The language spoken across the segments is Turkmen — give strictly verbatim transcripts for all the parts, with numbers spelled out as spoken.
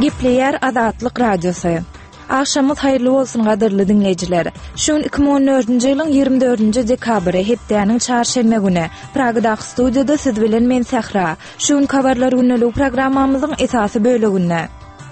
Gepleýär Azatlyk Radiosy. Agşamyňyz haýyrly bolsun gadyrly diňleýjiler. Şu gün iki müň on dördünji ýylyň ýigrimi dördünji dekabry, hepdäniň çarşenbe güni. Pragadaky studiýada siz bilen men Sähra. Şu günki Habarlar gündeligi programmamyzyň esasy böleginde.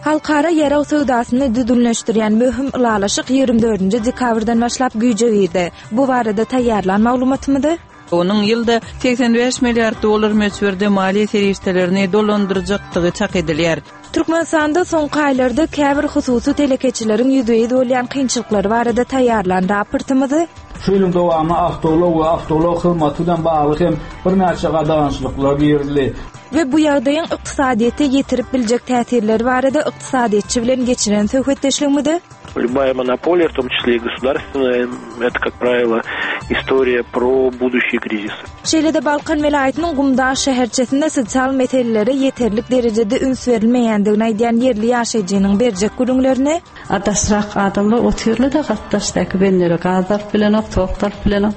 Halkara ýarag söwdasyny düzgünleşdirýän möhüm ylalaşyk ýigrimi dördünji dekabrdan başlap güýje girdi. Bu barada taýýarlan maglumatymyzy Onuň ýylda segsen bäş milliard dollar möçberde maliýe serişdelerini dolandyrjakdygy çak edilýär. Türkmenistanda soňky aýlarda käbir hususy telekeçileriň ýüzbe-ýüz bolýan kynçylyklary barada taýýarlan raportymyzy Şu ýylyň dowamynda awtoulag we awtoulag hyzmaty bilen bagly hem birnäçe gadagançylyklar girizildi. We bu ýagdaýyň ykdysadyýete ýetirip biljek täsirleri barada ykdysadyýetçi bilen geçiren söhbetdeşligimizi Любая монополия, в том числе и государственная, это, как правило, история про будущие кризисы. Şeýle-de Balkan welaýatynyň Gumdag şäherçesinde sosial meselelere ýeterlik derejede üns berilmeýändigini aýdýan ýerli ýaşaýjynyň berjek gürrüňlerini A daşrak adamlar otyrlar-da gatdaşdaky benlere gaz alyp bilenok, tok alyp bilenok.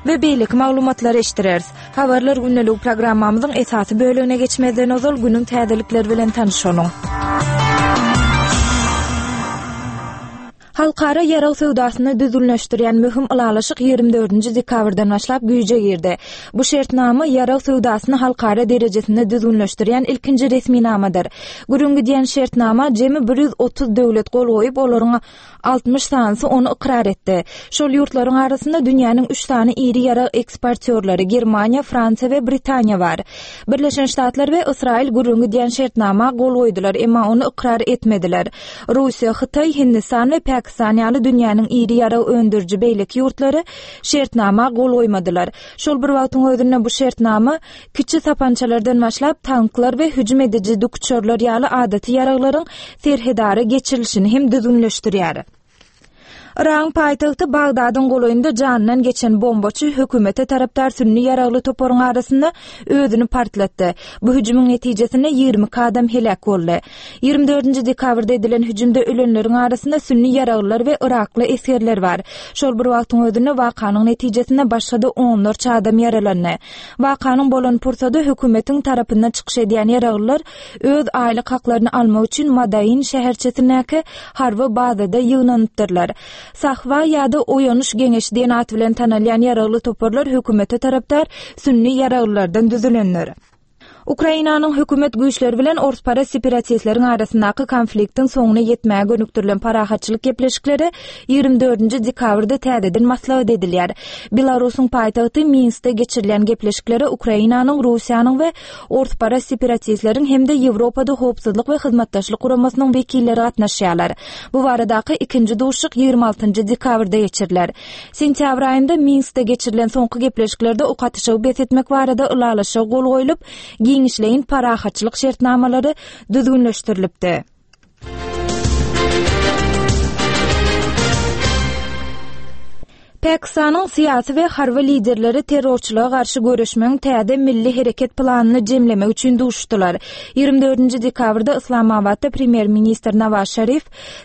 We beýleki maglumatlary eşitdireris. Habarlar gündeligi programmamyzyň esasy bölegine geçmezden ozal günüň täzelikleri bilen tanyşalyň. Halkara ýarag söwdasyny düzgünleşdirýän möhüm ylalaşyk ýigrimi dördünji dekabrdan başlap güýje girdi. Bu şertnama ýarag söwdasyny halkara derejesinde düzgünleşdirýän ilkinji resminamadyr. Gürrüň gidýän şertnama jemi bir ýüz otuz döwlet gol goýup, olaryň altmyş sanysy ony ykrar etdi. Şol ýurtlaryň arasynda dünýäniň üç sany iri ýarag eksportýorlary Germaniýa, Fransiýa we Britaniýa bar. Birleşen Ştatlar we Ysraýyl gürrüň gidýän şertnama gol goýdular, emma ony ykrar etmediler. Russiýa, Hytaý, Hindistan we Pakistan ýaly dünýäniň iri ýarag öndüriji beýleki ýurtlary şertnama gol goýmadylar. Şol bir wagtyň özünde bu şertnama kiçi sapançalardan başlap tanklar we hüjüm ediji dikuçarlar ýaly adaty ýaraglaryň serhedara geçirilişini hem düzgünleşdirýär. Yragyň paýtagty Bagdadyň golaýynda janyndan geçen bombaçy hökümete tarapdar sünni ýaragly toparyň arasynda özüni partlatdy. Bu hüjümiň netijesinde ýigrimi iki adam heläk boldy. Ýigrimi dördünji dekabrda edilen hüjümde ölenleriň arasynda sünni ýaraglylar we yrakly esgerler bar. Şol bir wagtyň özünde wakanyň netijesinde başga-da onlarça adam ýaralandy. Wakanyň bolan pursady hökümetiň tarapyndan çykyş edýän ýaraglylar öz aýlyk haklaryny almak üçin Madain şäherçesindäki harby bazada ýygnanypdyrlar. Sahwa ýa-da Oýanyş geňeşi diýen at bilen tanalýan ýaragly toparlar hökümete tarapdar sünni ýaraglylardan düzülendir. Ukrainanyň hökümet güýçleri bilen orspara separatistleriň arasyndaky konfliktiň soňuna ýetmäge gönükdirilen parahatçylyk gepleşikleri ýigrimi dördünji dekabrda täzeden maslahat edilýär. Belarusyň paýtagty Minskde geçirilen gepleşiklere Ukrainanyň, Russiýanyň we orspara separatistleriň hem-de Ýewropada howpsuzlyk we hyzmatdaşlyk guramasynyň wekilleri gatnaşýarlar. Bu baradaky ikinji duşuşyk ýigrimi altynjy dekabrda geçiriler. Sentýabr aýynda Minskde geçirilen soňky gepleşiklerde ok atyşygy bes etmek barada ylalaşyga gol goýlup, giňişleýin parahatçylyk şertnamalary düzgünleşdirilipdi. Pakistanyň syýasy we harby liderleri terrorçylyga garşy göreşmegiň täze milli hereket planyny jemlemek üçin duşuşdylar. Ýigrimi dördünji dekabrda Yslamabatda premýer-ministr Nawaz Şarif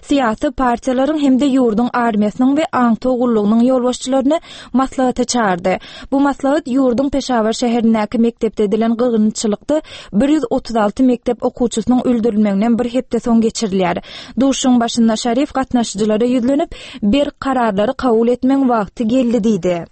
syýasy partiýalaryň hem-de ýurduň armiýasynyň we aňtaw gullugynyň ýolbaşçylaryny maslahata çagyrdy. Bu maslahat ýurduň Peşawar şäherindäki mekdepde edilen gyrgynçylykda bir ýüz otuz alty mekdep okuwçysynyň öldürilmeginden bir hepde soň geçirilýär. Duşuşygyň başynda Şarif gatnaşyjylara ýüzlenip, berk kararlary kabul etmegiň wagty geldi diýdi.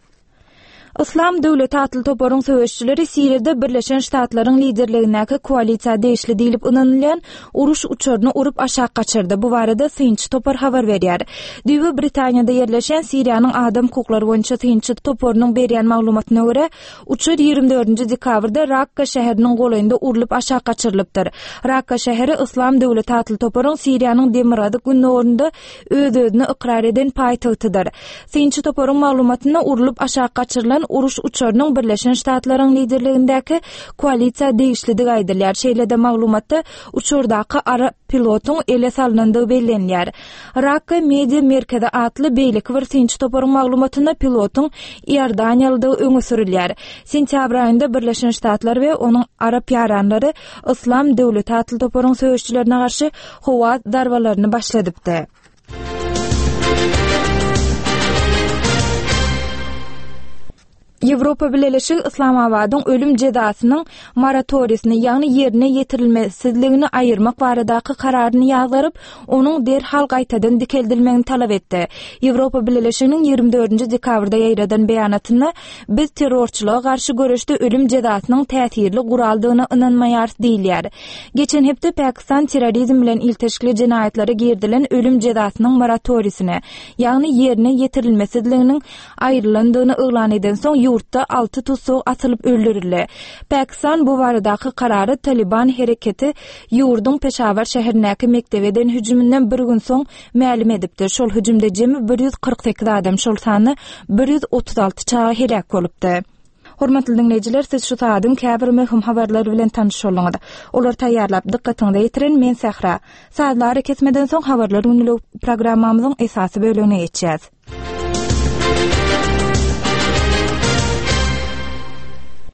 Yslam döwleti atly toparyň söweşçileri Siriýada Birleşen Ştatlaryň liderligindäki koalisiýa degişli diýlip ynanylýan uruş uçaryny urup aşak gaçyrdy. Bu barada synçy topar habar berýär. Düýbi Britaniýada ýerleşen Siriýanyň adam hukuklary boýunça synçy toparynyň berýän maglumatyna görä, uçar ýigrimi dördünji dekabrda Rakka şäheriniň golaýynda urlup aşak gaçyrylypdyr. Rakka şäheri Yslam döwleti atly toparyň Siriýanyň demirgazyk gündogarynda öz-özüni ykrar eden paýtagtydyr. Synçy toparyň maglumatynda urlup aşak gaçyrylan uruş uçarynyň Birleşen Ştatlaryň liderligindäki koalisiýa degişlidigi aýdylýar. Şeýle-de maglumatda uçardaky arap pilotyň ele salnandygy bellenilýär. Rakka Media Merkezi atly beýleki bir synçy toparyň maglumatynda pilotyň Iordaniýalydygy öňe sürülýär. Sentýabr aýynda Birleşen Ştatlar we onuň arap ýaranlary Yslam döwleti atly toparyň söweşçilerine garşy howa zarbalaryny başladypdy. Ýewropa Bileleşigi Yslamabadyň ölüm jezasynyň moratoriýasyny, ýagny ýerine ýetirilmesizligini aýyrmak baradaky kararyny ýazgaryp, onuň derhal gaýtadan dikeldilmegini talap etdi. Ýewropa Bileleşiginiň ýigrimi dördünji dekabrda ýaýradan beýanatynda, Biz terrorçylyga garşy göreşde ölüm jezasynyň täsirli guraldygyna ynanmaýarys diýilýär. Geçen hepde Pakistan terrorizm bilen ilteşikli jenaýatlara girizilen ölüm jezasynyň moratoriýasyny, ýagny ýerine ýetirilmesizliginiň aýrylandygyny yglan edensoň, ýurtda alty tussag atylyp öldürildi. Pakistan bu baradaky karary Talyban hereketi ýurduň Peşawar şäherindäki mekdebe eden hüjüminden bir gün soň mälim edipdi. Şol hüjümde jemi bir ýüz kyrk sekiz adam, şol sanda bir ýüz otuz alty çaga heläk bolupdy. Hormatly diňleýjiler, siz şu saadyň käbir möhüm habarlary bilen tanyş bolduňyz. Olary taýýarlap, dykgatyňyza ýetiren men Sähra. Sazly arakesmeden soň Habarlar günlügi programmamyzyň esasy bölegine geçýäs.